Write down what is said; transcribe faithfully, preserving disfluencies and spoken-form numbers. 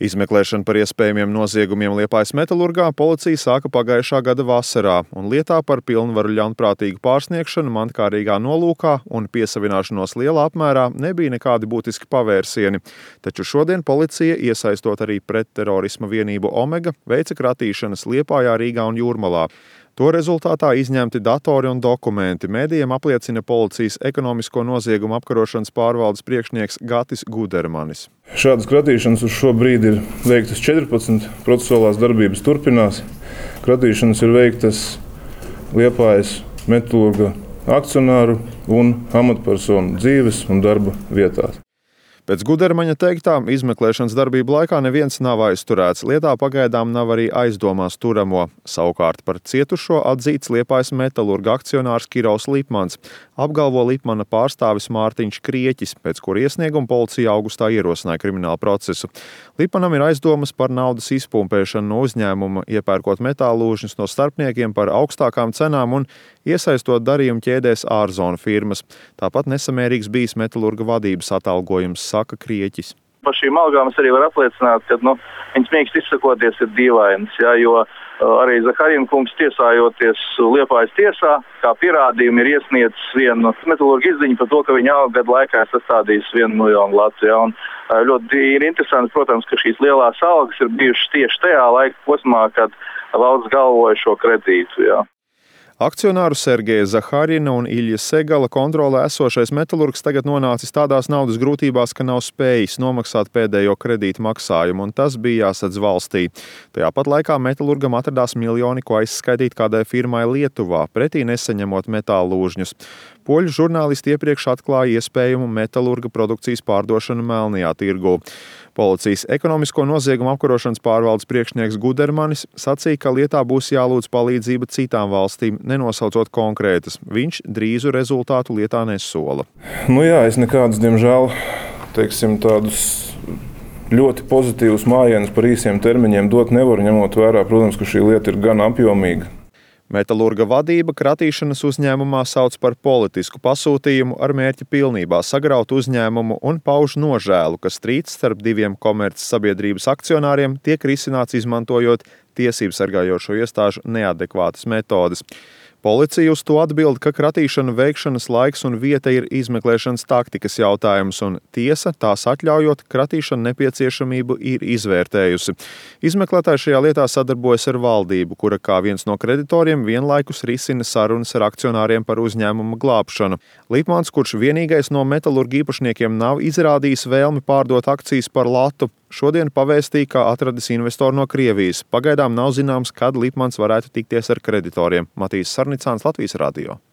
Izmeklēšana par iespējamiem noziegumiem Liepājas metalurgā policija sāka pagājušā gada vasarā, un lietā par pilnvaru ļaunprātīgu pārsniegšanu mantkārīgā nolūkā un piesavināšanos lielā apmērā nebija nekādi būtiski pavērsieni. Taču šodien policija, iesaistot arī pretterorisma vienību Omega, veica kratīšanas Liepājā, Rīgā un Jūrmalā. To rezultātā izņemti datori un dokumenti. Mēdījiem apliecina policijas ekonomisko noziegumu apkarošanas pārvaldes priekšnieks Gatis Gudermanis. Šādas kratīšanas uz šo brīdi ir veiktas četrpadsmit, procesuālās darbības turpinās. Kratīšanas ir veiktas Liepājas metalurga akcionāru un amatpersonu dzīves un darba vietās. Pēc Gudermaņa teiktā, izmeklēšanas darbību laikā neviens nav aizturēts. Lietā pagaidām nav arī aizdomās turamo. Savukārt par cietušo atzīts Liepājas metalurga akcionārs Kirovs Lipmans, apgalvo Lipmana pārstāvis Mārtiņš Krieķis, pēc kura iesnieguma policija augustā ierosināja kriminālu procesu. Lipmanam ir aizdomas par naudas izpumpēšanu no uzņēmuma, iepērkot metāllūžņus no starpniekiem par augstākām cenām un iesaistot darījumu ķēdēs ārzonu firmas. Tāpat nesamērīgs bijis metalurga vadības atalgojums, saka Krieķis. Par šīm algām es arī varu apliecināt, ka nu, viņas mīkst izsakoties ir dīvainas, ja, jo uh, arī Zaharina kungs tiesājoties Liepājas tiesā, kā pierādījumi ir iesniedzis vienu metalurgu izziņu par to, ka viņa alga gadu laikā ir sastādījis vienu miljonu latu. Ja, un, uh, ļoti ir interesanti, protams, ka šīs lielās algas ir bijušas tieši tajā laika posmā, kad valsts galvoja šo kredītu. Ja. Akcionāru Sergeja Zaharina un Iļja Segala kontrolē esošais metalurgs tagad nonācis tādās naudas grūtībās, ka nav spējis nomaksāt pēdējo kredītu maksājumu, un tas bija jāsadz valstī. Tajā pat laikā metalurgam atradās miljoni, ko aizskaitīt kādai firmai Lietuvā, pretī nesaņemot metāllūžņus. Poļu žurnālisti iepriekš atklāja iespējumu metalurga produkcijas pārdošanu melnajā tirgū. Policijas ekonomisko noziegumu apkarošanas pārvaldes priekšnieks Gudermanis sacīja, ka lietā būs jālūdz palīdzība citām valstīm, nenosaucot konkrētas. Viņš drīzu rezultātu lietā nesola. Nu jā, es nekādus, diemžēl, teiksim, tādus ļoti pozitīvus mājienus par īsiem termiņiem dot nevaru, ņemot vērā, protams, ka šī lieta ir gan apjomīga. Metalurga vadība kratīšanas uzņēmumā sauc par politisku pasūtījumu ar mērķi pilnībā sagraut uzņēmumu un pauž nožēlu, ka strīds starp diviem komerces sabiedrības akcionāriem tiek risināts izmantojot tiesību sargājošo iestāžu neadekvātas metodes. Policija uz to atbild, ka kratīšanu veikšanas laiks un vieta ir izmeklēšanas taktikas jautājums, un tiesa, tās atļaujot, kratīšanu nepieciešamību ir izvērtējusi. Izmeklētāji šajā lietā sadarbojas ar valdību, kura kā viens no kreditoriem vienlaikus risina sarunas ar akcionāriem par uzņēmuma glābšanu. Lipmans, kurš vienīgais no metalurga īpašniekiem nav izrādījis vēlmi pārdot akcijas par latu, šodien pavēstīja, ka atradis investoru no Krievijas. Pagaidām nav zināms, kad Lipmans varētu tikties ar kreditoriem. Matīs Sarnicāns, Latvijas radio.